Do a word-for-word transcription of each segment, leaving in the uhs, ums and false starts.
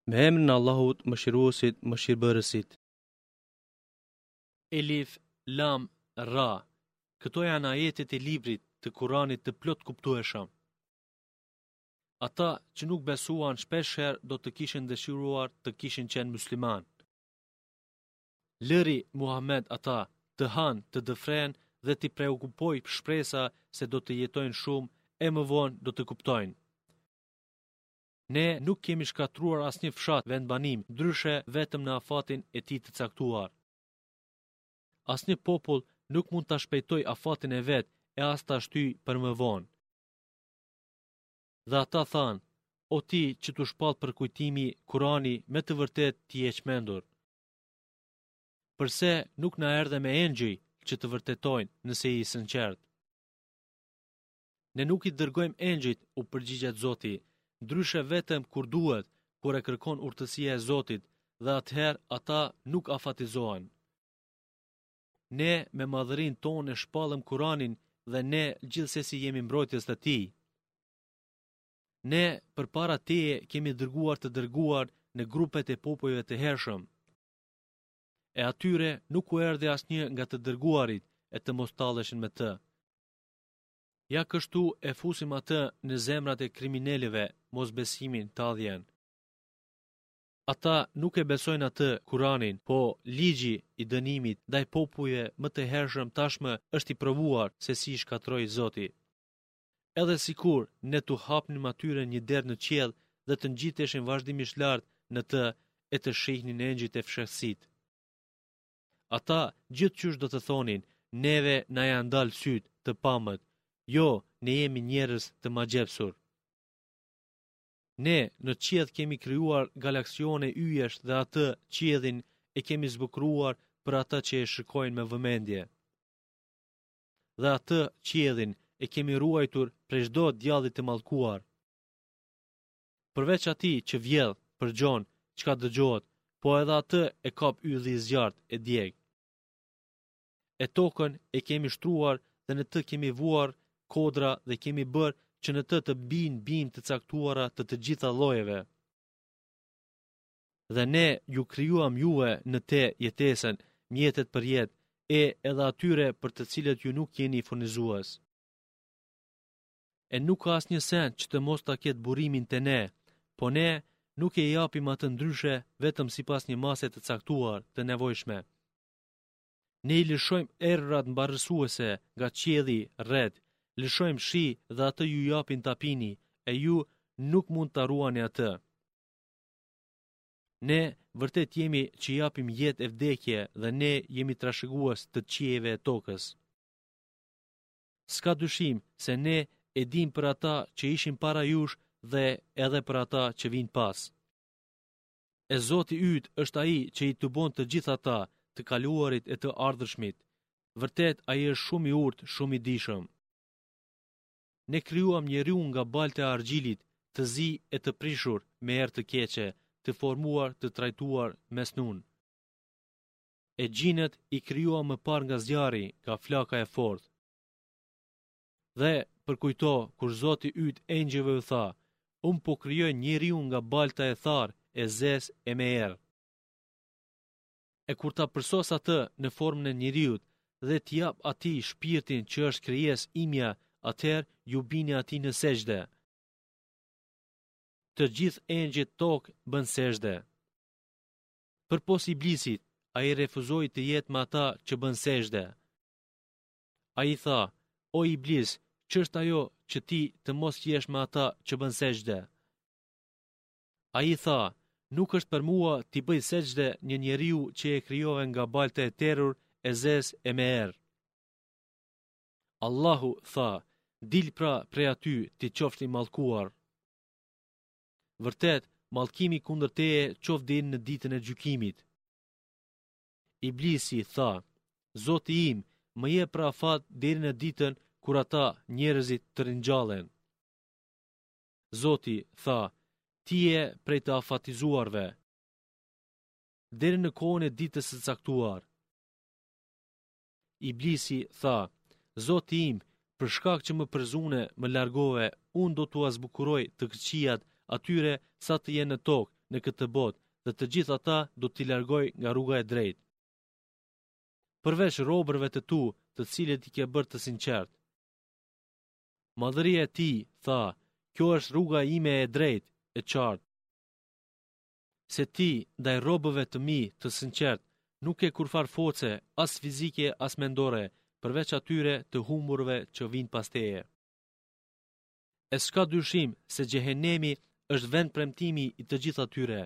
Me emrin e Allahut, Mëshiruesit, Mëshirbërësit. Elif, Lam, Ra. Këto janë ajetet e librit të Kuranit të plotëkuptueshëm. Ata që nuk besuan shpeshherë do të kishin dëshiruar të kishin qenë muslimanë. Lëri, Muhammed, ata, të hanë, të dëfrejnë dhe t'i preokupojë shpresa se do të jetojnë shumë e më vonë do të kuptojnë. Ne nuk kemi shkatërruar asnjë fshat vendbanim, ndryshe vetëm në afatin e tij të caktuar. Asnjë popull nuk mund ta shpejtojë afatin e vet e as ta shtyjë për më vonë. Dhe ata thanë, o ti që t'u shpall përkujtimi, Kurani, me të vërtetë ti je çmendur. Përse nuk na erdhe me engjëj që të vërtetojnë nëse je i sinqertë? Ne nuk i dërgojmë engjëjt, u përgjigjet Zoti, ndryshe vetëm kur duhet, kur e kërkon urtësia e Zotit, dhe atëherë ata nuk afatizohen. Ne me madhërinë tonë e shpallëm Kuranin dhe ne gjithsesi jemi mbrojtës të tij. Ne përpara teje kemi dërguar të dërguar në grupet e popujve të hershëm. E atyre nuk u erdhi asnjë nga të dërguarit e të mos talleshin me të. Ja kështu e fusim atë në zemrat e kriminelëve, mosbesimin, talljen. Ata nuk e besojnë atë, Kuranin, po ligji i dënimit ndaj popujve më të hershëm tashmë është i provuar se si i shkatërroi Zoti. Edhe sikur ne t'u hapnim atyre një derë në qiell dhe të ngjiteshin vazhdimisht lart në të e të shihnin engjëjt e fshehtësitë. Ata gjithqysh do të thonin, neve na janë dalë sytë, të pamët. Jo, ne jemi njerëz të magjepsur. Ne në qiell kemi krijuar galaksione yjesh dhe atë, qiellin, e kemi zbukuruar për ata që e shikojnë me vëmendje. Dhe atë, qiellin, e kemi ruajtur prej çdo djalli të mallkuar. Përveç atij që vjedh, përgjon, çka dëgjohet, po edhe atë e kap ylli i zjarrtë e djeg. E tokën e kemi shtruar dhe në të kemi vuar kodra dhe kemi bërë që në të të bijnë bimë të caktuara të të gjitha llojeve. Dhe ne ju krijuam juve në te jetesën, mjetet për jetë, e edhe atyre për të cilët ju nuk jeni furnizues. E nuk ka asnjë send që të mos ta ketë burimin te ne, po ne nuk e japim atë ndryshe vetëm sipas një mase të caktuar, të nevojshme. Ne i lëshojmë erërat mbarësuese nga qielli, retë, lëshojmë shi dhe atë ju japim ta pini, e ju nuk mund ta ruani atë. Ne vërtet jemi që japim jetë e vdekje dhe ne jemi trashëgues të qiejve e tokës. S'ka dyshim se ne e dimë për ata që ishin para jush dhe edhe për ata që vijnë pas. E Zoti yt është ai që i tubon të gjithë ata, të kaluarit e të ardhshmit. Vërtet ai është shumë i urtë, shumë i dijshëm. Ne krijuam njeriun nga balta e argjilit, të zi e të prishur, me erë të keqe, të formuar, të trajtuar, mesnun. E xhinët i krijuam më parë nga zjarri, nga flaka e fortë. Dhe, përkujto, kur Zoti yt engjëjve u tha, unë po krijoj njeriun nga balta e tharë, e zezë e me erë. E kur ta përsos atë në formën e njeriut dhe t'i jap atij shpirtin që është krijesë imja, atëherë ju bini atij në sexhde. Të gjithë engjëjt tok bënë sexhde. Përpos Iblisit, ai refuzoi të jetë me ata që bënë sexhde. Ai tha, o Iblis, ç'është ajo që ti të mos jesh me ata që bënë sexhde? Ai tha, nuk është për mua t'i bëj sexhde një njeriu që e krijove nga balta e terur, e zezë e me erë. Allahu tha, dil pra prej aty ti qofsh i mallkuar. Vërtet, mallkimi kundër teje qoftë deri në ditën e gjykimit. Iblisi tha, Zoti im, më jep pra afat deri në ditën kur ata njerëzit të ringjallen. Zoti tha, ti je prej të afatizuarve. Deri në kohën e ditës së caktuar. Iblisi tha, Zoti im, për shkak që më përzune, më largove, unë do t'ua zbukuroj të këqijat atyre sa të jenë në tokë, në këtë botë dhe të gjithë ata do t'i largoj nga rruga e drejtë. Përveç robërve të tu, të cilët i ke bërë të sinqertë. Madhëria e tij, tha, kjo është rruga ime e drejtë, e qartë. Se ti, ndaj robëve të mi, të sinqertë, nuk ke kurrfarë force, as fizike, as mendore, përveç atyre të humburve që vijnë pas teje. E s'ka dyshim se xhehenemi është vendpremtimi i të gjithë atyre.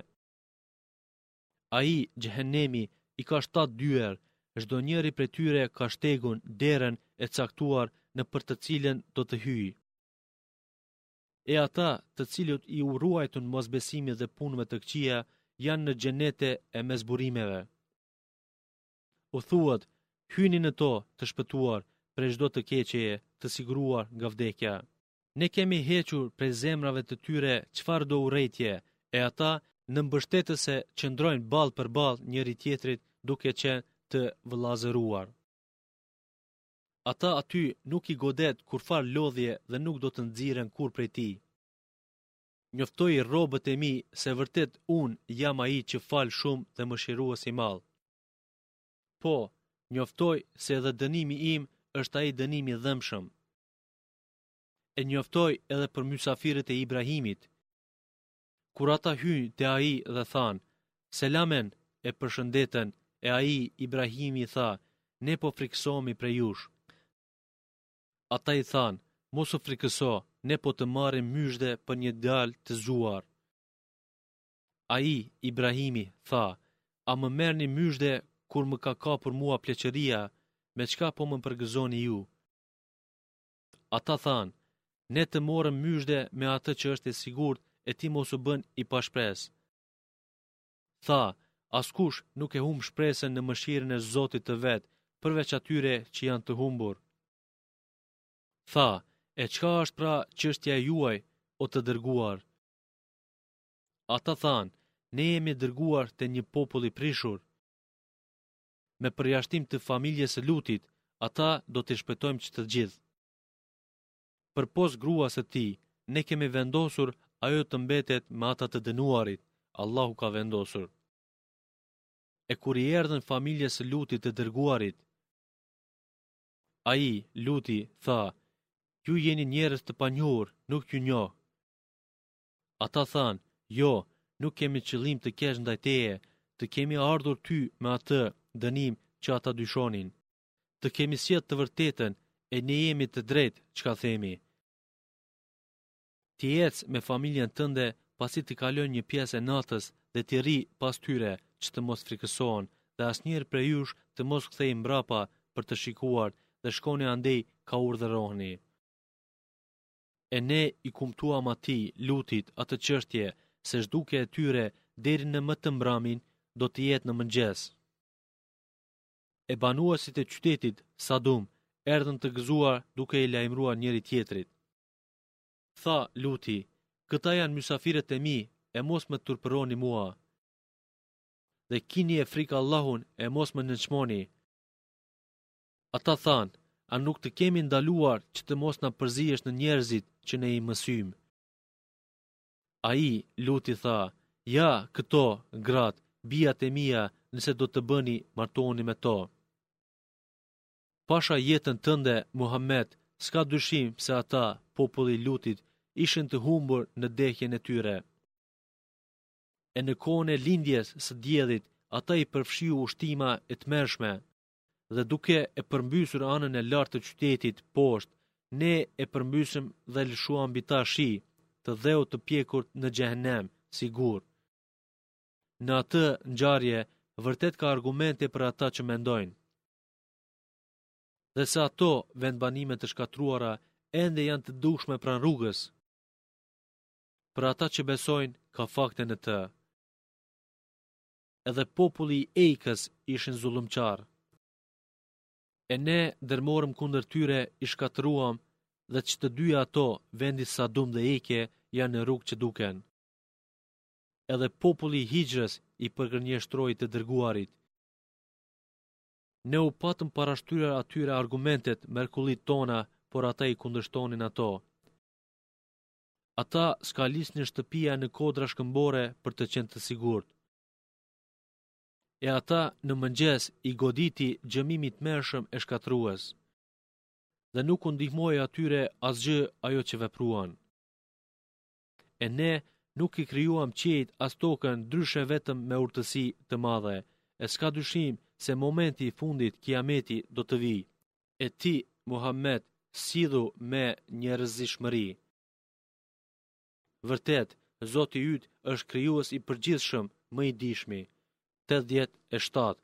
Ai, xhehenemi, i ka shtatë dyer, çdonjëri prej tyre ka shtegun, derën e caktuar nëpër të cilën do të hyjë. E ata, të cilët iu ruajtën mosbesimit dhe punëve të këqija, janë në xhenete e mes burimeve. U thuhet, hyni në to, të shpëtuar, prej çdo të keqeje, të siguruar nga vdekja. Ne kemi hequr prej zemrave të tyre çfarëdo urrejtje, e ata në mbështetëse qëndrojnë ballë për ballë njëri-tjetrit duke qenë të vëllazëruar. Ata aty nuk i godet kurrfarë lodhje dhe nuk do të nxirren kurrë prej tij. Njoftoji robët e mi se vërtet unë jam ai që fal shumë dhe mëshirues i madh. Po, njoftoji se edhe dënimi im është ai dënim i dhembshëm. E njoftoji edhe për mysafirët e Ibrahimit. Kur ata hynë te ai dhe thanë, Selamen, e përshëndetën, e ai, Ibrahimi, tha, ne po frikësohemi prej jush. Ata i thanë, mos u frikëso, ne po të marrim myzhde për një djalë të zgjuar. Ai, Ibrahimi, tha, a më merrni myzhde kur më ka kapur mua pleqëria, me çka po më përgëzoni ju? Ata thanë, ne të morëm myzhde me atë që është e sigurt e ti mos u bën i pashpresë. Tha, askush nuk e humb shpresën në mëshirën e Zotit të vet, përveç atyre që janë të humbur. Tha, e çka është pra çështja e juaj, o të dërguar? Ata thanë, ne jemi dërguar te një popull i prishur. Me përjashtim të familjes së Lutit, ata do t'i shpëtojmë që të gjithë. Përpos gruas së tij, ne kemi vendosur ajo të mbetet me ata të dënuarit, Allahu ka vendosur. E kur i erdhën familjes së Lutit të dërguarit, ai, Luti, tha, ju jeni njerëz të panjohur, nuk ju njoh. Ata thanë, jo, nuk kemi qëllim të keq ndaj teje, të kemi ardhur ty me atë dënim që ata dyshonin. Të kemi sjellë të vërtetën e ne jemi të drejtë çka themi. Ti ec me familjen tënde pasi të kalojë një pjesë e natës dhe ti rri pas tyre që të mos frikësohen dhe asnjëri prej jush të mos kthejë mbrapa për të shikuar dhe shkoni andej ka urdhëroheni. E ne i kumtuam atij, Lutit, atë çështje, se zhdukja e tyre deri në më të mbramin do të jetë në mëngjes. E banuesit e qytetit, Sadum, erdhën të gëzuar duke i lajmëruar njëri-tjetrit. Tha Luti, këta janë mysafirët e mi, e mos më turpëroni mua. Dhe kinie frikë Allahun e mos më nënçmoni. Ata thanë, a nuk të kemi ndaluar që të mos na përzihesh në njerëzit që ne i mësyjmë? Ai, Luti tha, ja, këto, gratë, bijat e mia, nëse do të bëni, martohuni me to. Pasha jetën tënde, Muhammed, s'ka dyshim se ata, populli i Lutit, ishin të humbur në dehjen e tyre. E në kohën e lindjes së diellit, ata i përfshiu ushtima e tmerrshme. Dhe duke e përmbysur anën e lartë të qytetit poshtë, ne e përmbysëm dhe lëshuam mbi ta shi, të dheut të pjekur në xhehenem, si gurë. Në atë ngjarje, vërtet ka argumente për ata që mendojnë. Dhe se ato vendbanime të shkatërruara ende janë të dukshme pranë rrugës. Për ata që besojnë, ka fakte në të. Edhe populli i Ejkës ishin zullumqarë. E ne ndërmorëm kundër tyre, i shkatërruam dhe që të dyja ato, vendi Sadum dhe Ejke, janë në rrugë që duken. Edhe populli i Hixhrës i përgënjeshtroi të dërguarit. Ne u patëm parashtruar atyre argumentet, mrekullitë tona, por ata i kundërshtonin ato. Ata skalisnin shtëpia në kodra shkëmbore për të qenë të sigurt. E ata në mëngjes i goditi gjëmimi i tmerrshëm e shkatërrues. Dhe nuk u ndihmoi atyre asgjë ajo që vepruan. E ne nuk i krijuam qiejt as tokën ndryshe vetëm me urtësi të madhe, e s'ka dyshim se momenti i fundit kiameti do të vijë. E ti, Muhammed, sillu me njerëzishmëri. Vërtet, Zoti yt është krijues i përgjithshëm, më i dijshmi. Tetëdhjetë e shtatë.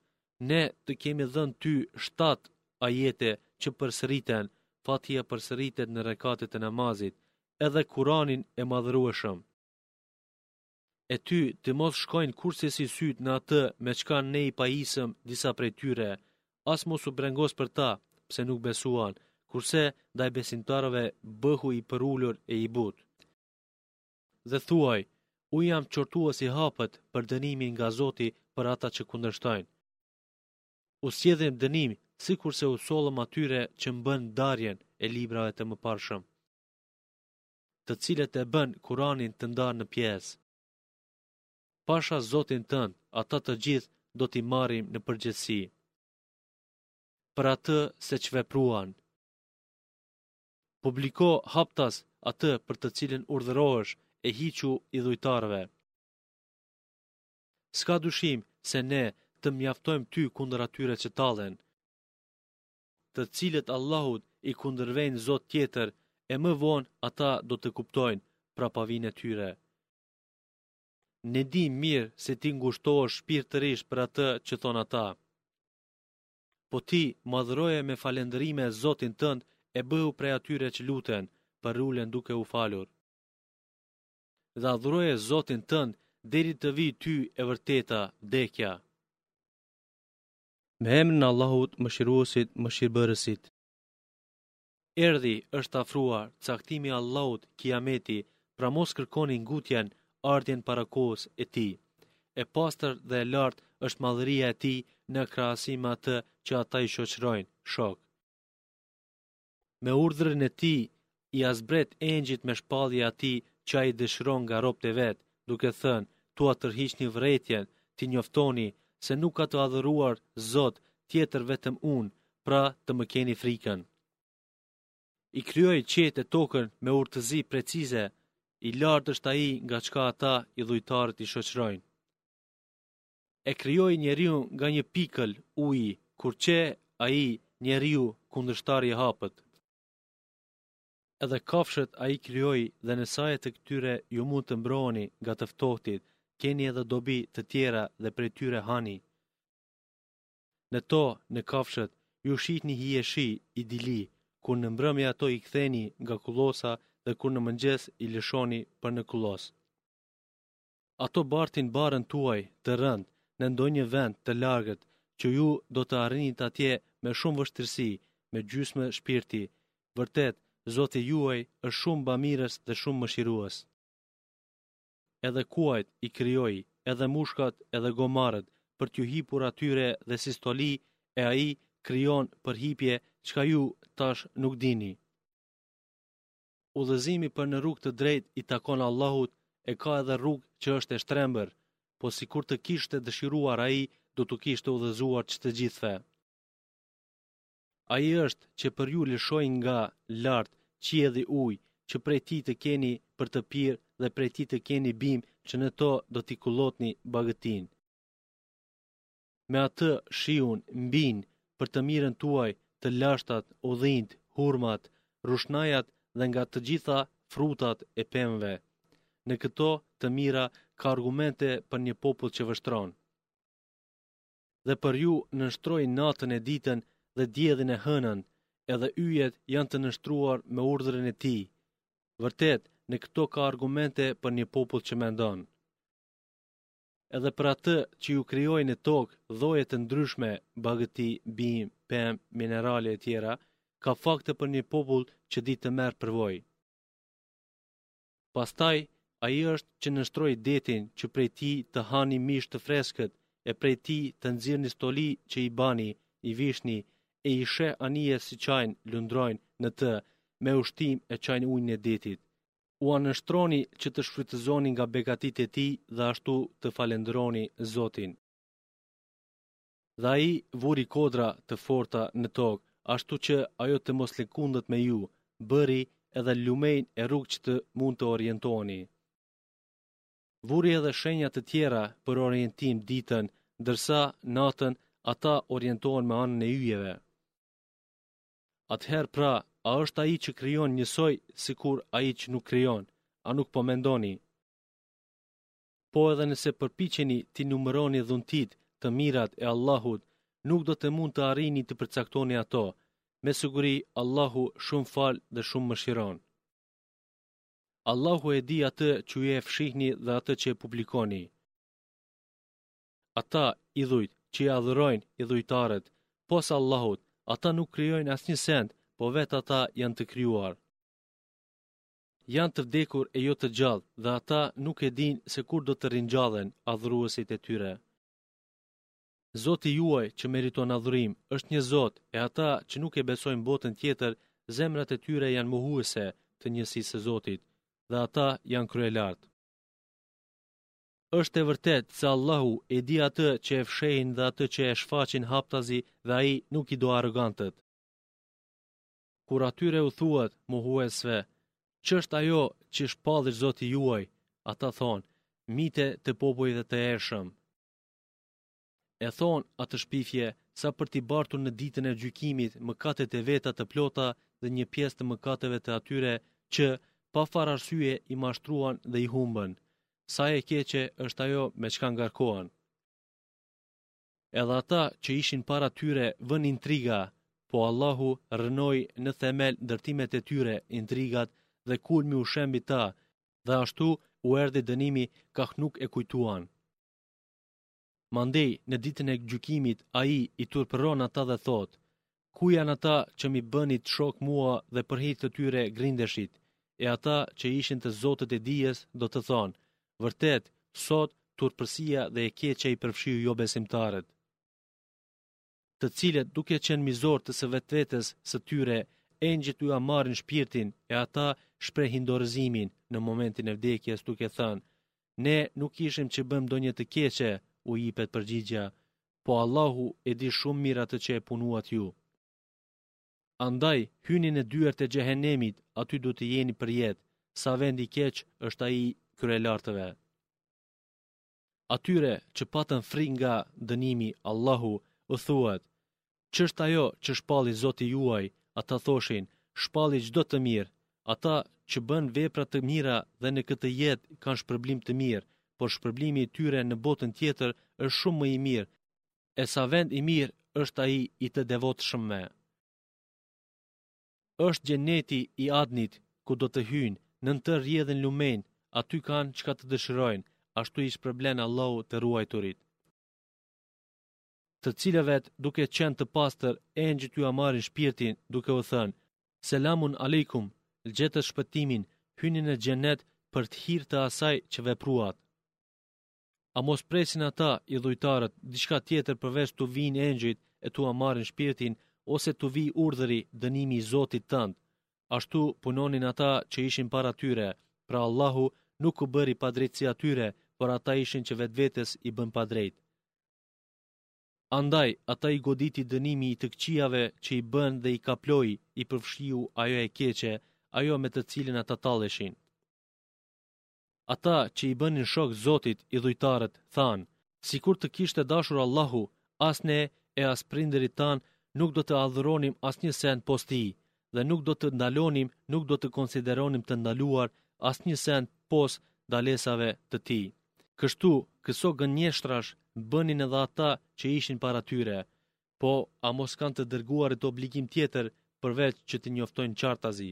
Ne të kemi dhënë ty shtatë ajete që përsëriten, Fatiha përsëritet në rekatet e namazit, edhe Kuranin e madhërueshëm. E ty të mos shkojnë kurrsesi sytë në atë me çka ne i pajisëm disa prej tyre, as mos u brengos për ta, pse nuk besuan, kurse ndaj besimtarëve bëhu i përulur e i butë. Dhe thuaj, unë jam qortues i hapët për dënimin nga Zoti për ata që kundërshtojnë. U sjellim dënim, sikurse u sollëm atyre që bënë ndarjen e librave të mëparshëm, të cilët e bënë Kuranin të ndarë në pjesë. Pasha Zotin tënd, ata të gjithë do t'i marrim në përgjegjësi për atë se ç'vepruan. Publiko haptas atë për të cilën urdhërohesh e hiqu idhujtarëve. S'ka dyshim se ne të mjaftojmë ty kundër atyre që tallen, të cilët Allahut i kundërvejnë Zot tjetër, e më vonë ata do të kuptojnë prapavinë e tyre. Ne dimë mirë se ti ngushtohesh shpirtërisht për atë që thonë ata. Po ti madhëroje me falënderime Zotin tënd e bëhu prej atyre që luten, përulen duke u falur. Dhe adhuroje Zotin tënd deri të vijë ty e vërteta, vdekja. Me emrin e Allahut, Mëshiruesit, Mëshirbërësit. Erdhi, është afruar, caktimi i Allahut, Kiameti, pra mos kërkoni ngutjen, ardhjen para kohës e tij. E pastër dhe e lartë është madhëria e tij në krahasim me atë që ata i shoqërojnë, shok. Me urdhrin e tij ia zbret engjëjt me shpallje atij që ai dëshiron nga robët e vet, duke thënë, t'ua tërhiqni vërejtjen, t'i njoftoni se nuk ka të adhuruar Zot tjetër vetëm unë, pra të më keni frikën. I krijoi qiejt e tokën me urtësi precize, i lartë është ai nga çka ata idhujtarët i shoqërojnë. E krijoi njeriun nga një pikël uji, kur qe ai, njeriu, kundërshtar i hapët. Edhe kafshët ai krijoi dhe në saje të këtyre ju mund të mbroheni nga të ftohtit, keni edhe dobi të tjera dhe prej tyre hani. Në to, në kafshët, ju shihni hijeshi, idili, kur në mbrëmje ato i ktheni nga kullosa dhe kur në mëngjes i lëshoni për në kullosë. Ato bartin barrën tuaj të rëndë në ndonjë vend të largët që ju do të arrinit atje me shumë vështirësi, me gjysmë shpirti. Vërtet, Zoti juaj është shumë bamirës dhe shumë mëshirues. Edhe kuajt i krijoi, edhe mushkat, edhe gomarët, për t'ju hipur atyre dhe si stoli, e ai krijon për hipje çka ju tash nuk dini. Udhëzimi për në rrugë të drejtë i takon Allahut e ka edhe rrugë që është e shtrembër, po sikur të kishte dëshiruar ai, do t'u kishte udhëzuar që të gjithëve. Ai është që për ju lëshoi nga lart qielli ujë, që prej tij të keni për të pirë dhe prej tij të keni bimë që në to do t'i kullotni bagëtinë. Me atë shiun mbijnë për të mirën tuaj të lashtat, ullinjtë, hurmat, rrushnajat dhe nga të gjitha frutat e pemëve. Në këto të mira ka argumente për një popull që vështron. Dhe për ju nënshtroi natën e ditën dhe diellin e hënën, edhe yjet janë të nënshtruar me urdhrin e tij. Vërtet, në këto ka argumente për një popull që mendon. Edhe për atë që ju krijoi në tokë lloje të ndryshme, bagëti, bimë, pemë, minerale e tjera, ka fakte për një popull që di të merr përvojë. Pastaj, ai është që nënshtroi detin që prej tij të hani mish të freskët e prej tij të nxirrni stoli që i bani, i vishni, e i sheh anijet si çajnë, lundrojnë, në të, me ushtim e çajnë ujin e detit. Ua nënshtroni që të shfrytëzoni nga begatitë e tij dhe ashtu të falënderoni Zotin. Dhe ai vuri kodra të forta në tokë, ashtu që ajo të mos lëkundet me ju, bëri edhe lumenj e rrugë që të mund të orientoheni. Vuri edhe shenja të tjera për orientim ditën, ndërsa natën ata orientohen me anën e yjeve. Atëherë pra, a është ai që krijon njësoj sikur ai që nuk krijon? A nuk po mendoni? Po edhe nëse përpiqeni t'i numëroni dhuntitë, të mirat e Allahut, nuk do të mund të arrini të përcaktoni ato. Me siguri Allahu shumë fal dhe shumë mëshiron. Allahu e di atë që ju e fshihni dhe atë që e publikoni. Ata, idhujt, që i adhurojnë idhujtarët, pos Allahut, ata nuk krijojnë asnjë send, po vetë ata janë të krijuar. Janë të vdekur e jo të gjallë dhe ata nuk e dinë se kur do të ringjallen adhuruesit e tyre. Zoti juaj që meriton adhurim është një Zot e ata që nuk e besojnë botën tjetër, zemrat e tyre janë mohuese të njësisë së Zotit dhe ata janë kryelartë. Është e vërtetë se Allahu e di atë që e fshehin dhe atë që e shfaqin haptazi dhe ai nuk i do arrogantët. Kur atyre u thuhet mohuesve, ç'është ajo që shpalli Zoti juaj, ata thonë, mite të popujve të hershëm. E thonë atë shpifje sa për t'i bartur në ditën e gjykimit mëkatet e veta të plota dhe një pjesë të mëkateve të atyre që, pa farë arsye, i mashtruan dhe i humbën. Sa e keqe është ajo me çka ngarkohen. Edhe ata që ishin para tyre vënë intriga, po Allahu rrënoi në themel ndërtimet e tyre, intrigat, dhe kulmi u shemb mbi ta, dhe ashtu u erdhi dënimi kah nuk e kujtuan. Mandej, në ditën e gjykimit, ai i turpëron ata dhe thotë, Ku janë ata që m'i bënit shok mua dhe për hir të tyre grindeshit? E ata që ishin të zotët e dijes do të thonë, Vërtet, sot turpësia dhe e keqja i përfshiu jobesimtarët. Të cilët duke qenë mizorë të së vetvetes së tyre, engjëjt ua marrin shpirtin e ata shprehin dorëzimin në momentin e vdekjes duke thënë, ne nuk ishim që bëmë ndonjë të keqe, u jipet përgjigja, po Allahu e di shumë mirë atë që e punuat ju. Andaj, hyni në dyert e xhehenemit, aty do të jeni përjetë, sa vend i keq është ai i kryelartëve. Atyre që patën frikë nga dënimi Allahu u thuhet, Ç'është ajo që shpalli Zoti juaj? Ata thoshin, shpalli çdo të mirë. Ata që bënë vepra të mira dhe në këtë jetë kanë shpërblim të mirë, por shpërblimi i tyre në botën tjetër është shumë më i mirë. E sa vend i mirë është ai i të devotshmëve. Është xheneti i Adnit, ku do të hyjnë, nën të rrjedhin lumenj, aty kanë çka të dëshirojnë, ashtu i shpërblen Allahu të ruajturit. Të cilëve duke qenë të pastër, engjëjt ua marrin shpirtin, duke u thënë, Selamun alejkum, gjetët shpëtimin, hyni në xhenet për të hir të asaj që vepruat. A mos presin ata, idhujtarët, diçka tjetër përveç t'u vijnë engjëjt e t'ua marrin shpirtin, ose t'u vijë urdhëri, dënimi i Zotit tënd. Ashtu punonin ata që ishin para tyre, pra Allahu nuk u bëri padrejtësi atyre, por ata ishin që vetvetes i bënë padrejt. Andaj, ata i goditi dënimi i të këqijave që i bënë dhe i kaploi, i përfshiu ajo e keqe, ajo me të cilën ata talleshin. Ata që i bënin shok Zotit, idhujtarët, thanë, sikur të kishte dashur Allahu, as ne e as prindërit tanë nuk do të adhuronim asnjë send pos tij, dhe nuk do të ndalonim, nuk do të konsideronim të ndaluar asnjë send pos ndalesave të tij. Kështu, këso gënjeshtrash bënin edhe ata që ishin para tyre. Po, a mos kanë të dërguarit obligim tjetër përveç që të njoftojnë qartazi?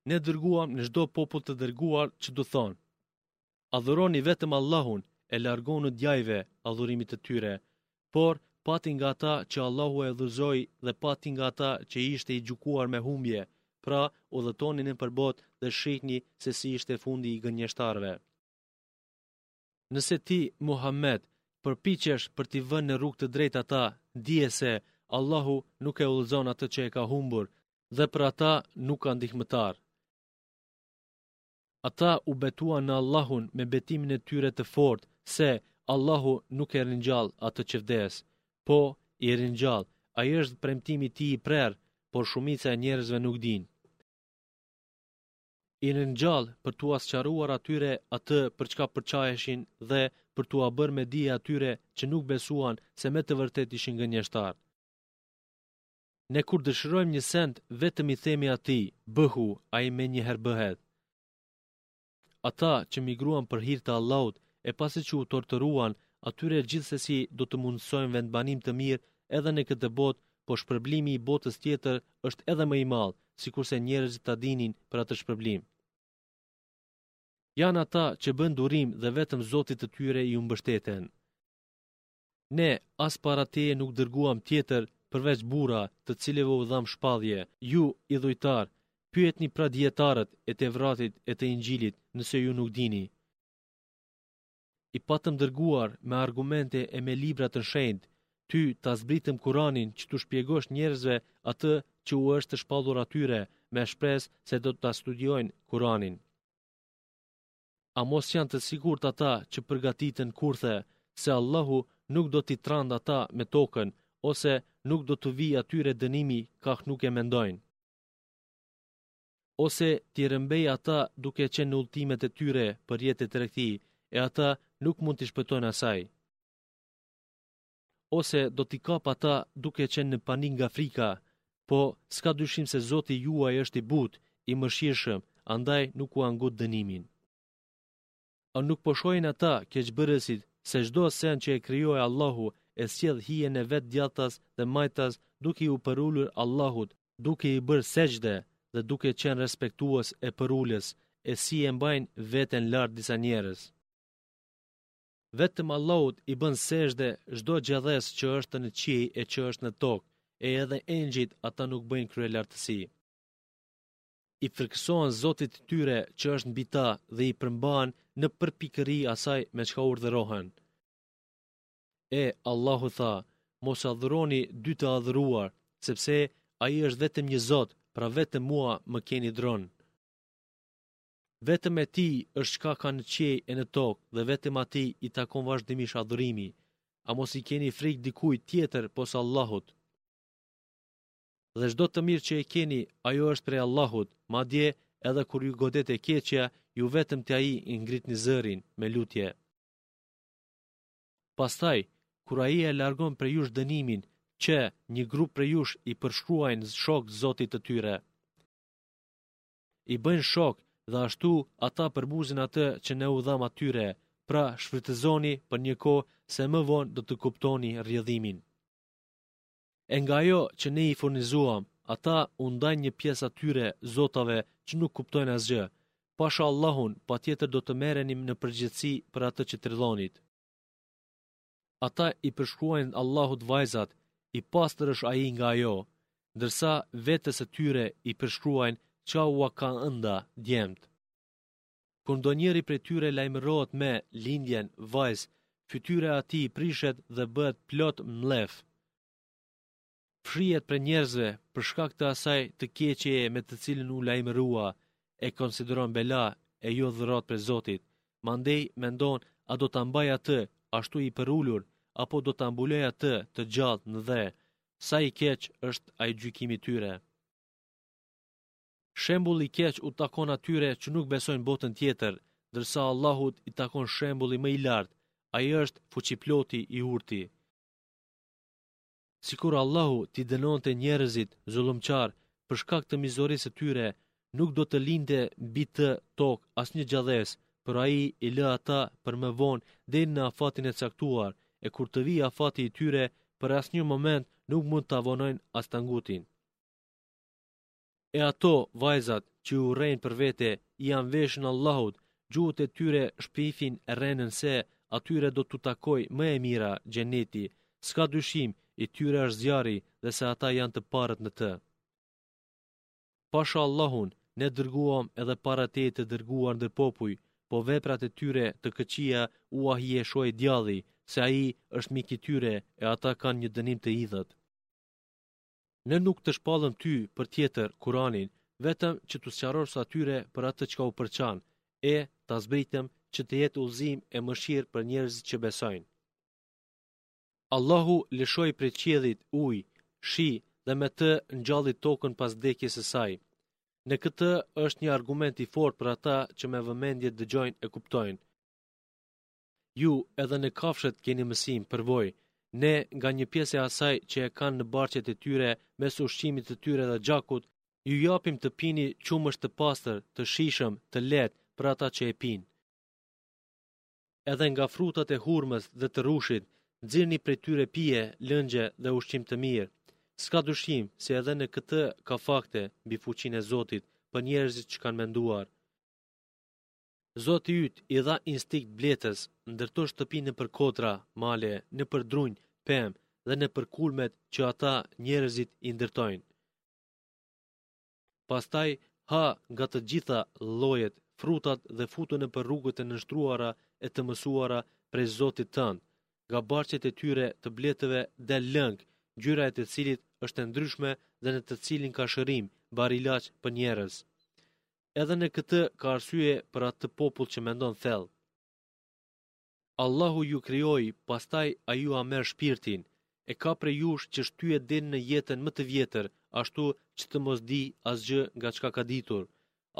Ne dërguam në çdo popull të dërguar që t'u thonë: Adhuroni vetëm Allahun e largohuni djajve, adhurimit të tyre. Por pati nga ata që Allahu e udhëzoi dhe pati nga ata që ishte i gjykuar me humbje, pra udhëtoni nëpër botë dhe shihni se si ishte fundi i gënjeshtarëve. Nëse ti, Muhammed, përpiqesh për t'i vënë në rrugë të drejtë ata, dije se Allahu nuk e udhëzon atë që e ka humbur dhe për ata nuk ka ndihmëtar. Ata u betuan në Allahun me betimin e tyre të fortë se Allahu nuk e ringjall atë që vdes. Po, i ringjall, ai është premtimi i tij i prerë, por shumica e njerëzve nuk dinë. I ringjall për t'ua sqaruar atyre atë për çka përçaheshin dhe për t'ua bërë me dije atyre që nuk besuan se me të vërtetë ishin gënjeshtarë. Ne kur dëshirojmë një send, vetëm i themi atij, bëhu, ai menjëherë bëhet. Ata që migruan për hir të Allahut e pasi që u torturuan, atyre gjithsesi do t'u mundësojmë vendbanim të mirë edhe në këtë botë, po shpërblimi i botës tjetër është edhe më i madh, sikurse njerëzit ta dinin për atë shpërblim. Janë ata që bëjnë durim dhe vetëm Zotit të tyre iu mbështeten. Ne as para teje nuk dërguam tjetër përveç burra, të cilëve u dhamë shpallje. Ju, idhujtarë, pyetni pra dijetarët e Tevratit e të Inxhilit, nëse ju nuk dini. I patëm dërguar me argumente e me libra të shenjtë, ty ta zbritëm Kuranin që t'u shpjegosh njerëzve atë që u është shpallur atyre, me shpresë se do ta studiojnë Kuranin. A mos janë të sigurt ata që përgatitën kurthe, se Allahu nuk do t'i trandë ata me tokën, ose nuk do t'u vijë atyre dënimi kah nuk e mendojnë. Ose t'i rrëmbejë ata duke qenë në udhëtimet e tyre për jetë e tregti, e ata nuk mund t'i shpëtojnë asaj. Ose do t'i kapë ata duke qenë në panik nga frika, po s'ka dyshim se Zoti juaj është i butë, i mëshirshëm, andaj nuk ua ngut dënimin. A nuk po shohin ata keqbërësit se çdo send që e krijoi Allahu e sjell hijen e vet djathtas dhe majtas duke iu përulur Allahut, duke i bërë sexhde dhe duke qenë respektues e përulës, e si e mbajnë veten lart disa njerëz. Vetëm Allahut i bën sexhde çdo gjallesë që është në qiej e që është në tokë, e edhe engjëjt ata nuk bëjnë kryelartësi. I frikësohen Zotit të tyre që është mbi ta dhe i përmbahen në përpikëri asaj me çka urdhërohen. E, Allahu tha, mos adhuroni dy të adhuruar, sepse ai është vetëm një Zot, pra vetëm mua më keni dronë. Vetëm e tij është çka ka në qiej e në tokë dhe vetëm atij i takon vazhdimisht adhurimi. A mos i keni frikë dikujt tjetër pos Allahut? Dhe çdo të mirë që e keni, ajo është prej Allahut, madje edhe kur ju godet e keqja, ju vetëm te ai e ngritni zërin me lutje. Pastaj, kur ai e largon prej jush dënimin, që një grup prej jush i përshkruajnë shok Zotit të tyre. I bëjnë shok dhe ashtu ata përbuzin atë që ne u dhamë atyre, pra shfrytëzoni për një kohë se më vonë do të kuptoni rrjedhimin. E nga ajo që ne i furnizuam, ata u ndajnë një pjesë atyre zotave që nuk kuptojnë asgjë. Pasha Allahun, patjetër do të merreni në përgjegjësi për atë që trillonit. Ata i përshkruajnë Allahut vajzat, i pastër është ai nga ajo, ndërsa vetes së tyre i përshkruajnë çka ua ka ënda djemtë. Kur ndonjëri prej tyre lajmërohet me lindjen, vajzë, fytyra e atij prishet dhe bëhet plot mllef. Fshihet prej njerëzve për shkak të asaj të keqeje me të cilën u lajmërua, e konsideron bela e jo dhuratë prej Zotit. Mandej mendon a do ta mbaj atë ashtu i përulur apo do ta mbuloj atë të gjallë në dhe. Sa i keq është ai gjykimi i tyre. Shembulli i keq u takon atyre që nuk besojnë botën tjetër, ndërsa Allahut i takon shembulli më i lartë, ai është fuqiploti i urti. Sikur Allahu t'i dënonte njerëzit zullumqarë për shkak të mizorisë së tyre, nuk do të linte mbi të tokë asnjë gjallesë, por ai i lë ata për më vonë deri në afatin e caktuar, e kur të vijë afati i tyre, për asnjë moment nuk mund ta vonojnë as ta ngutin. E ato, vajzat, që i urrejnë për vete, ia mveshin Allahut, gjuhët e tyre shpifin rrenën se, atyre do t'u takojë më e mira, xheneti, s'ka dyshim, i tyre është zjarri dhe se ata janë të parët në të. Pasha Allahun, ne dërguam edhe para teje të dërguar ndër popuj, po veprat e tyre të këqija ua hijeshoi djalli, se ai është mik i tyre e ata kanë një dënim të idhët. Ne nuk të shpallëm ty për tjetër Kuranin, vetëm që t'u sqarosh atyre për atë çka u përçanë, E, ta zbritëm që të jetë udhëzim e mëshirë për njerëzit që besojnë. Allahu lëshoi prej qiellit ujë, shi dhe me të ngjalli tokën pas vdekjes së saj. Në këtë është një argument i fortë për ata që me vëmendje dëgjojnë e kuptojnë. Ju edhe në kafshët keni mësim, përvojë. Ne nga një pjesë e asaj që e kanë në barqet e tyre mes ushqimit të tyre dhe gjakut, ju japim të pini qumësht të pastër, të shijshëm, të lehtë për ata që e pinë. Edhe nga frutat e hurmës dhe të rrushit, nxirrni prej tyre pije, lëngje dhe ushqim të mirë. S'ka dyshim se edhe në këtë ka fakte mbi fuqinë e Zotit për njerëzit që kanë menduar. Zoti yt i dha instinkt bletës, ndërto shtëpi nëpër kodra, male, nëpër drunj, pemë dhe nëpër kulmet që ata, njerëzit, i ndërtojnë. Pastaj ha nga të gjitha llojet, frutat dhe futu nëpër rrugët e nënshtruara e të mësuara prej Zotit tënd. Nga barqet e tyre të bletëve del lëng, ngjyra e të cilit është e ndryshme dhe në të cilin ka shërim, barilaç për njerëz. Edhe në këtë ka arsye për atë popull që mendon thellë. Allahu ju krijoi, pastaj ai jua merr shpirtin. E ka prej jush që shtyhet deri në jetën më të vjetër, ashtu që të mos dijë asgjë nga çka ka ditur.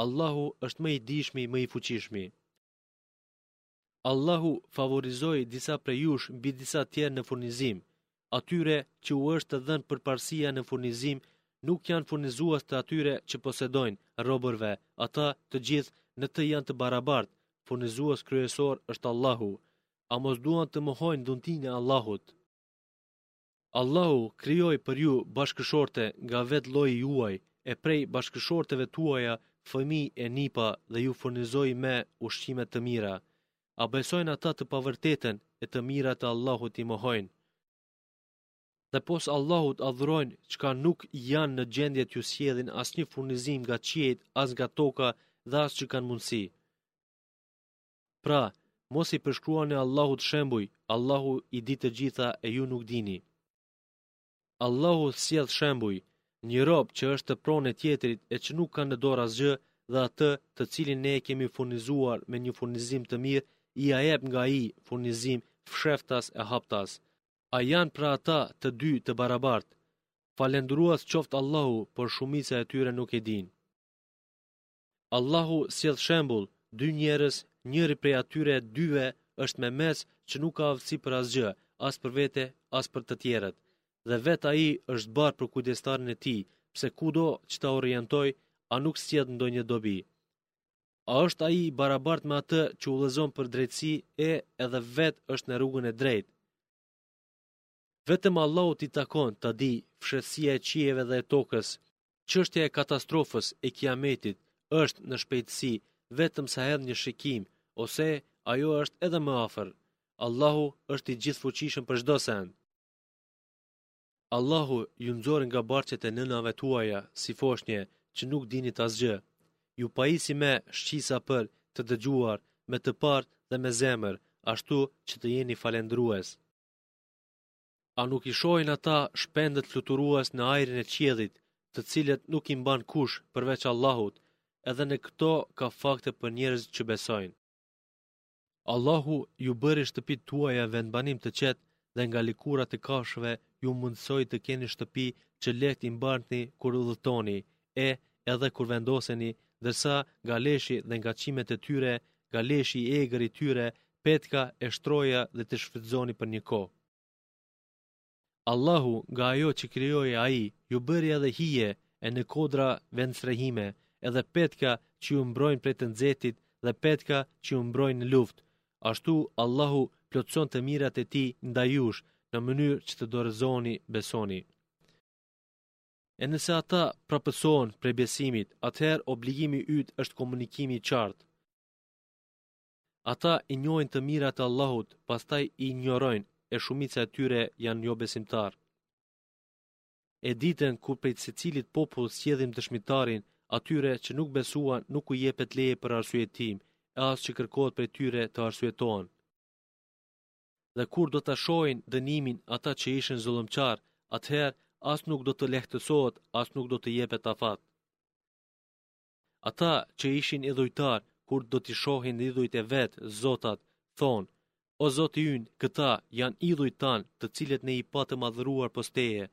Allahu është më i dijshmi, më i fuqishmi. Allahu favorizoi disa prej jush mbi disa tjerë në furnizim. Atyre që u është dhënë përparësia në furnizim, nuk janë furnizues të atyre që posedojnë, robërve, ata të gjithë në të janë të barabartë, furnizues kryesor është Allahu. A mos duan të mohojnë dhuntinë e Allahut? Allahu krijoi për ju bashkëshorte nga vetë lloji juaj, e prej bashkëshorteve tuaja fëmijë e nipa dhe ju furnizoi me ushqime të mira. A besojnë ata të pavërtetën e të mirat e Allahut i mohojnë? Dhe pos Allahut adhurojnë çka nuk janë në gjendje t'ju sjellin asnjë furnizim nga qiejt, as nga toka dhe as që kanë mundësi. Pra, mos i përshkruani Allahut shembuj, Allahu i di të gjitha e ju nuk dini. Allahu sjell shembuj, një rob që është pronë e tjetrit e që nuk ka në dorë asgjë dhe atë të cilin ne e kemi furnizuar me një furnizim të mirë, ia jep nga ai furnizim fshehtas e haptas. A janë pra ata të dy të barabartë? Falënderuar qoftë Allahu, por shumica e tyre nuk e dinë. Allahu sjell shembull, dy njerëz, njëri prej atyre dyve është memec që nuk ka aftësi për asgjë, as për vete, as për të tjerët. Dhe vetë ai është barrë për kujdestarin e tij, pse kudo që ta orientojë, a nuk sjell ndonjë dobi. A është ai i barabartë me atë që udhëzon për drejtësi e edhe vetë është në rrugën e drejtë? Vetëm Allahut i takon ta dijë fshehtësia e qiejve dhe e tokës. Çështja e katastrofës e Kiametit është në shpejtësi, vetëm sa hedh një shikim, ose ajo është edhe më afër. Allahu është i gjithëfuqishëm për çdo send. Allahu ju nxori nga barqet e nënave tuaja si foshnje që nuk dinit asgjë. Ju pajisi me shqisa për të dëgjuar, me të parë dhe me zemër, ashtu që të jeni falënderues. A nuk i shohin ata shpendët fluturues në ajrin e qiellit, të cilët nuk i mban kush përveç Allahut, edhe në këto ka fakte për njerëzit që besojnë. Allahu ju bëri shtëpitë tuaja vendbanim të qetë dhe nga lëkurat e kafshëve ju mundësoi të keni shtëpi që lehtë i mbartni kur udhëtoni, e edhe kur vendoseni, ndërsa nga leshi dhe nga qimet e tyre, nga leshi i egër i tyre, petka e shtroja dhe të shfrytëzoni për një kohë. Allahu nga ajo që krijoi ai, ju bëri edhe hije e në kodra vendstrehime, edhe petka që ju mbrojnë prej të nxehtit dhe petka që ju mbrojnë në luftë. Ashtu Allahu plotëson të mirat e tij ndaj jush, në mënyrë që të dorëzoheni, besoni. E nëse ata prapësohen prej besimit, atëherë obligimi yt është komunikimi i qartë. Ata i njohin të mirat e Allahut, pastaj i injorojnë, e shumica e tyre janë jobesimtarë. E ditën kur prej secilit popull sjellim dëshmitarin, atyre që nuk besuan nuk u jepet leje për arsyetim, e as që kërkohet prej tyre të arsyetohen. Dhe kur do ta shohin dënimin ata që ishin zullumqarë, atëherë as nuk do të lehtësohet, as nuk do të jepet afat. Ata që ishin idhujtarë, kur do t'i shohin idhujt e vet, zotat, thonë, O Zoti ynë, këta janë idhujt tanë, të cilët ne i patëm adhuruar pos teje.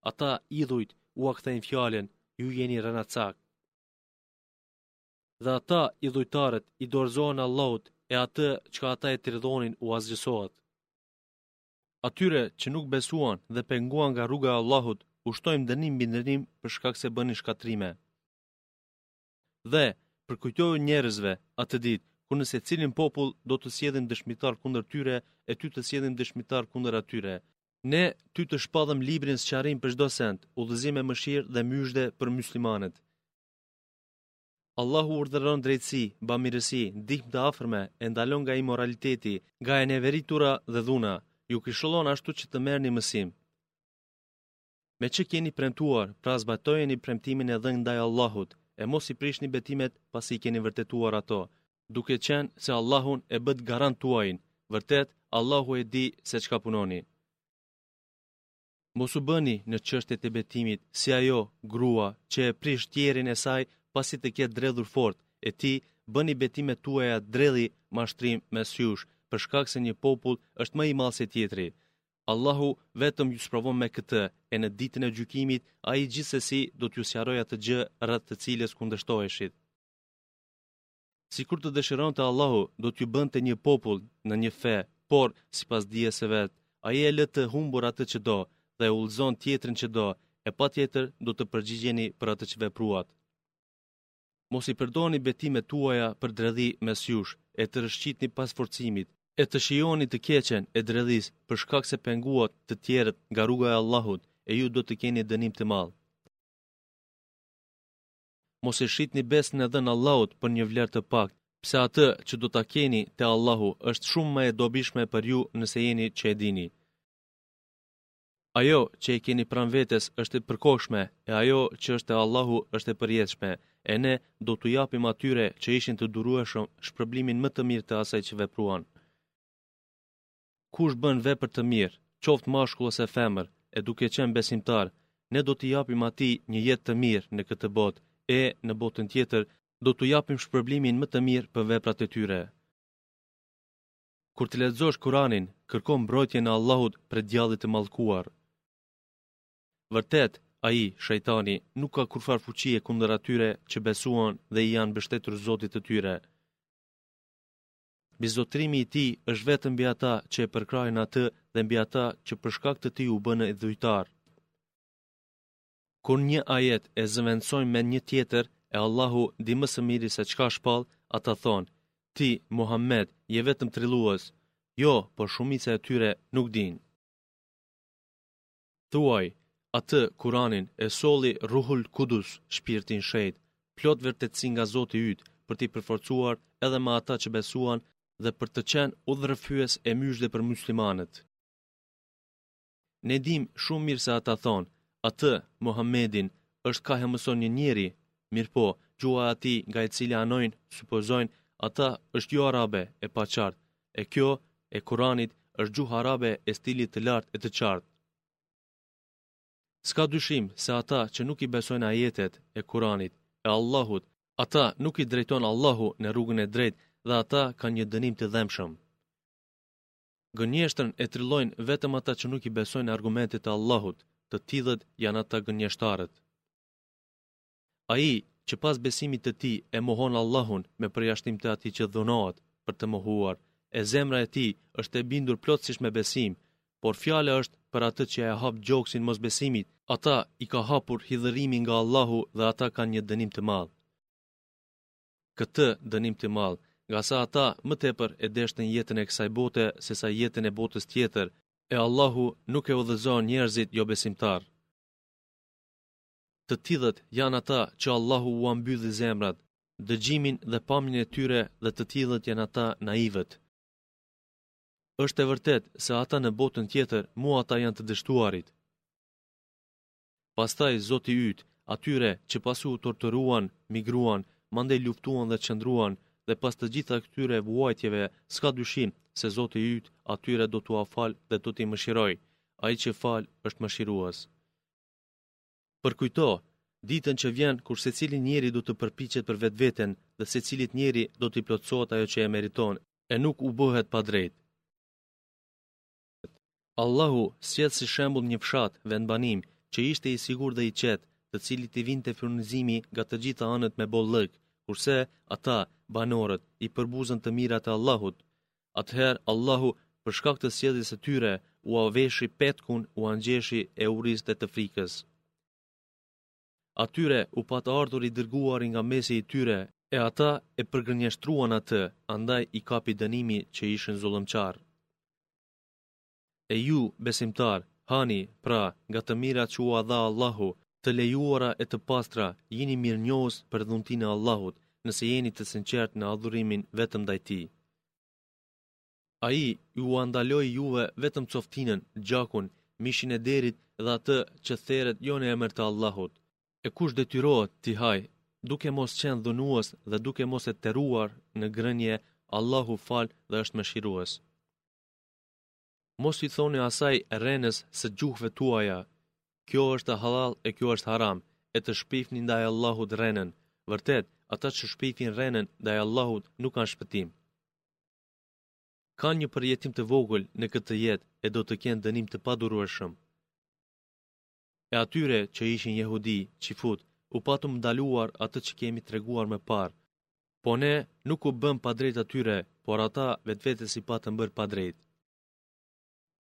Ata, idhujt, ua kthejnë fjalën, ju jeni rrenacakë. Dhe ata, idhujtarët, i dorëzohen Allahut, e atë çka ata e trillonin u asgjësohet. Atyre që nuk besuan dhe penguan nga rruga e Allahut, u shtojmë dënim mbi dënim për shkak se bënin shkatërrime. Dhe, përkujtoju njerëzve, atë ditë, kur në secilin popull do të sjellim dëshmitar kundër tyre e ty të sjellim dëshmitar kundër atyre. Ne ty të shpallëm librin sqarim për çdo send, udhëzim e mëshirë dhe myzhde për muslimanët. Allahu urdhëron drejtësi, bamirësi, ndihmë të afërme, e ndalon nga imoraliteti, nga e neveritura dhe dhuna. Ju këshillon ashtu që të merrni mësim. Me që keni premtuar, pra zbatojeni premtimin e dhënë ndaj Allahut, e mos i prishni betimet pasi i keni vërtetuar ato, duke qenë se Allahun e bëtë garant tuajin, vërtet Allahu e di se çka punoni. Mos u bëni në çështjet e betimit si ajo grua që e prish tjerrjen e saj pasi të ketë dredhur fort, e t'i bëni betimet tuaja dredhi mashtrim mes jush, për shkak se një popull është më i madh se tjetri. Allahu vetëm ju sprovon me këtë, e në ditën e gjykimit ai gjithsesi do t'ju sqarojë atë gjë rreth të cilës kundërshtoheshit. Sikur të dëshironte Allahu, do t'ju bënte një popull në një fe, por, sipas dijes së vet, ai e lë të humbur atë që do dhe e udhëzon tjetrin që do, e patjetër do të përgjigjeni për atë që vepruat. Mos i përdorni betimet tuaja për dredhi mes jush, e të rrëshqitni pas forcimit, e të shijoni të keqen e dredhisë për shkak se penguat të tjerët nga rruga e Allahut, e ju do të keni dënim të madh. Mos e shitni besën e dhënë Allahut për një vlerë të paktë, pse atë që do ta keni te Allahu është shumë më e dobishme për ju nëse jeni që e dini. Ajo që e keni pranë vetes është e përkohshme, e ajo që është te Allahu është e përjetshme, e ne do t'u japim atyre që ishin të durueshëm shpërblimin më të mirë të asaj që vepruan. Kush bën vepër të mirë, qoftë mashkull ose femër, e duke qenë besimtar, ne do t'i japim atij një jetë të mirë në këtë botë, e në botën tjetër do t'u japim shpërblimin më të mirë për veprat e tyre. Kur të lexosh Kuranin, kërko mbrojtjen e Allahut prej djallit të mallkuar. Vërtet, ai, shejtani, nuk ka kurrfarë fuqie kundër atyre që besuan dhe i janë mbështetur Zotit të tyre. Mbizotërimi i tij është vetëm mbi ata që e përkrahin atë dhe mbi ata që për shkak të tij u bënë idhujtarë. Kur një ajet e zëvendësojmë me një tjetër, e Allahu di më së miri se çka shpall, ata thonë, ti, Muhammed, je vetëm trillues. Jo, por shumica e tyre nuk dinë. Thuaj, atë, Kuranin, e solli Ruhul Kudus, Shpirti i Shenjtë, plot vërtetësi nga Zoti yt, për t'i përforcuar edhe më ata që besuan dhe për të qenë udhërrëfyes e myzhde për muslimanët. Ne dimë shumë mirë se ata thonë, atë, Muhammedin, është kah e mëson një njeri, mirëpo, gjuha e atij nga e cila anojnë, supozojnë, ata është jo arabe, e paqartë, e kjo, e Kuranit, është gjuhë arabe e stilit të lartë e të qartë. S'ka dyshim se ata që nuk i besojnë ajetet e Kuranit, e Allahut, ata nuk i drejton Allahu në rrugën e drejtë dhe ata kanë një dënim të dhembshëm. Gënjeshtrën e trillojnë vetëm ata që nuk i besojnë argumentet e Allahut, të tillët janë ata gënjeshtarët. Ai që pas besimit të tij e mohon Allahun me përjashtim të atij që dhunohet për të mohuar, e zemra e tij është e bindur plotësisht me besim, por fjala është për atë që e hap gjoksin mosbesimit, ata i ka hapur hidhërimi nga Allahu dhe ata kanë një dënim të madh. Këtë dënim të madh, ngase ata më tepër e deshtën jetën e kësaj bote sesa jetën e botës tjetër, e Allahu nuk e udhëzon njerëzit jobesimtarë. Të tillët janë ata që Allahu ua mbylli zemrat, dëgjimin dhe pamjen e tyre dhe të tillët janë ata naivët. Është e vërtetë se ata në botën tjetër, mu ata janë të dështuarit. Pastaj Zoti yt, atyre që pasi u torturuan, migruan, mandej luftuan dhe qëndruan, dhe pas të gjitha këtyre vuajtjeve, s'ka dyshim se Zoti yt atyre do t'ua falë dhe do t'i mëshirojë. Ai që fal është mëshirues. Përkujto, Ditën që vjen kur secili njeri do të përpiqet për vetveten dhe secilit njeri do t'i plotësohet ajo që e meriton, e nuk u bëhet padrejt. Allahu sjell si shembull një fshat, vendbanim, që ishte i sigurt dhe i qetë, të cilit i vinte furnizimi nga të gjitha anët me bollëk, kurse ata, banorët, i përbuzën të mirat e Allahut. Atëherë Allahu, për shkak të sjelljes së tyre, ua veshi petkun, ua ngjeshi e urisë dhe të frikës. Atyre u pat ardhur i dërguari nga mesi i tyre, e ata e përgënjeshtruan atë, andaj i kapi dënimi që ishin zullumqarë. E ju, besimtarë, hani, pra, nga të mirat që ua dha Allahu, të lejuara e të pastra, jini mirënjohës për dhuntinë e Allahut, nëse jeni të sinqertë në adhurimin vetëm ndaj Tij. Ai jua ndaloi juve vetëm coftinën, gjakun, mishin e derrit dhe atë që theret jo në emër të Allahut. E kush detyrohet t'i hajë, duke mos qenë dhunues dhe duke mos e tepruar në ngrënie, Allahu fal dhe është mëshirues. Mos i thoni asaj rrenës së gjuhëve tuaja, kjo është hallall e kjo është haram, e të shpifni ndaj Allahut rrenën. Vërtet, ata që shpifin rrenën ndaj Allahut nuk kanë shpëtim. Kanë një përjetim të vogël në këtë jetë e do të kenë dënim të padurueshëm. E atyre që ishin jehudi, çifutë, u patëm ndaluar atë që kemi treguar më parë. Po ne nuk u bëmë padrejt atyre, por ata vetvetes i patën bërë padrejt.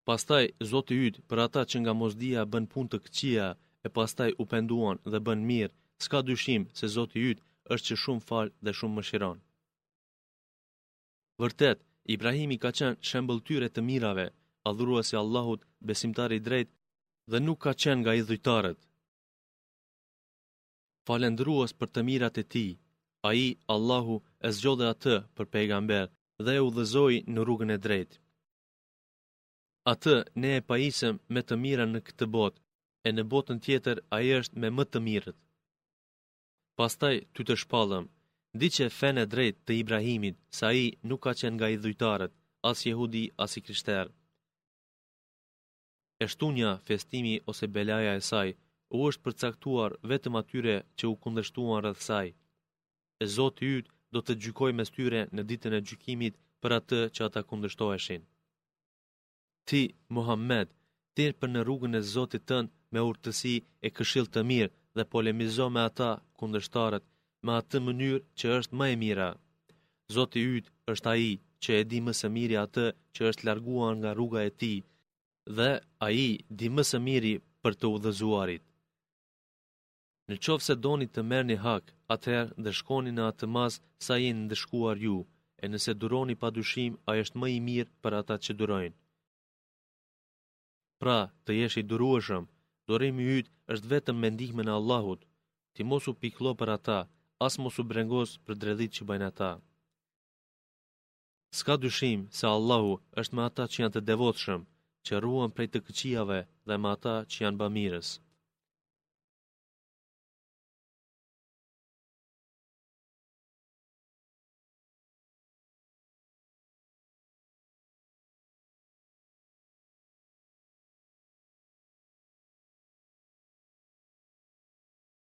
Pastaj Zoti yt për ata që nga mosdija bënë punë të këqija e pastaj u penduan dhe bënë mirë, s'ka dyshim se Zoti yt është që shumë fal dhe shumë mëshiron. Vërtet, Ibrahimi ka qenë shembëlltyrë e të mirave, adhurues i Allahut, besimtar i drejtë dhe nuk ka qenë nga idhujtarët. Falënderues për të mirat e tij, ai, Allahu, e zgjodhi atë për pejgamber dhe e udhëzoi në rrugën e drejtë. Atë ne e pajisëm me të mira në këtë botë, e në botën tjetër ai është me më të mirët. Pastaj ty të shpallëm, ndiqe fenë e drejtë të Ibrahimit, se ai nuk ka qenë nga idhujtarët, as jehudi, as i krishterë. E shtunja, festimi ose belaja e saj, u është përcaktuar vetëm atyre që u kundërshtuan rreth saj. E Zoti yt do të gjykojë mes tyre në ditën e gjykimit për atë që ata kundërshtoheshin. Ti, Muhammed, thirr për në rrugën e Zotit tënd me urtësi e këshillë të mirë dhe polemizo me ata, kundërshtarët, me atë mënyrë që është më e mira. Zoti yt është ai që e di më së miri atë që është larguar nga rruga e tij dhe ai di më së miri për të udhëzuarit. Në qoftë se doni të merrni hak, atëherë ndëshkoni në atë masë sa jeni ndëshkuar ju, e nëse duroni pa dyshim, ai është më i mirë për ata që durojnë. Pra, të jesh i durueshëm, durimi yt është vetëm me ndihmën e Allahut. Ti mos u pikëllo për ata, as mos u brengos për dredhitë që bëjnë ata. S'ka dyshim se Allahu është me ata që janë të devotshëm, që ruhen prej të këqijave dhe me ata që janë bamirës.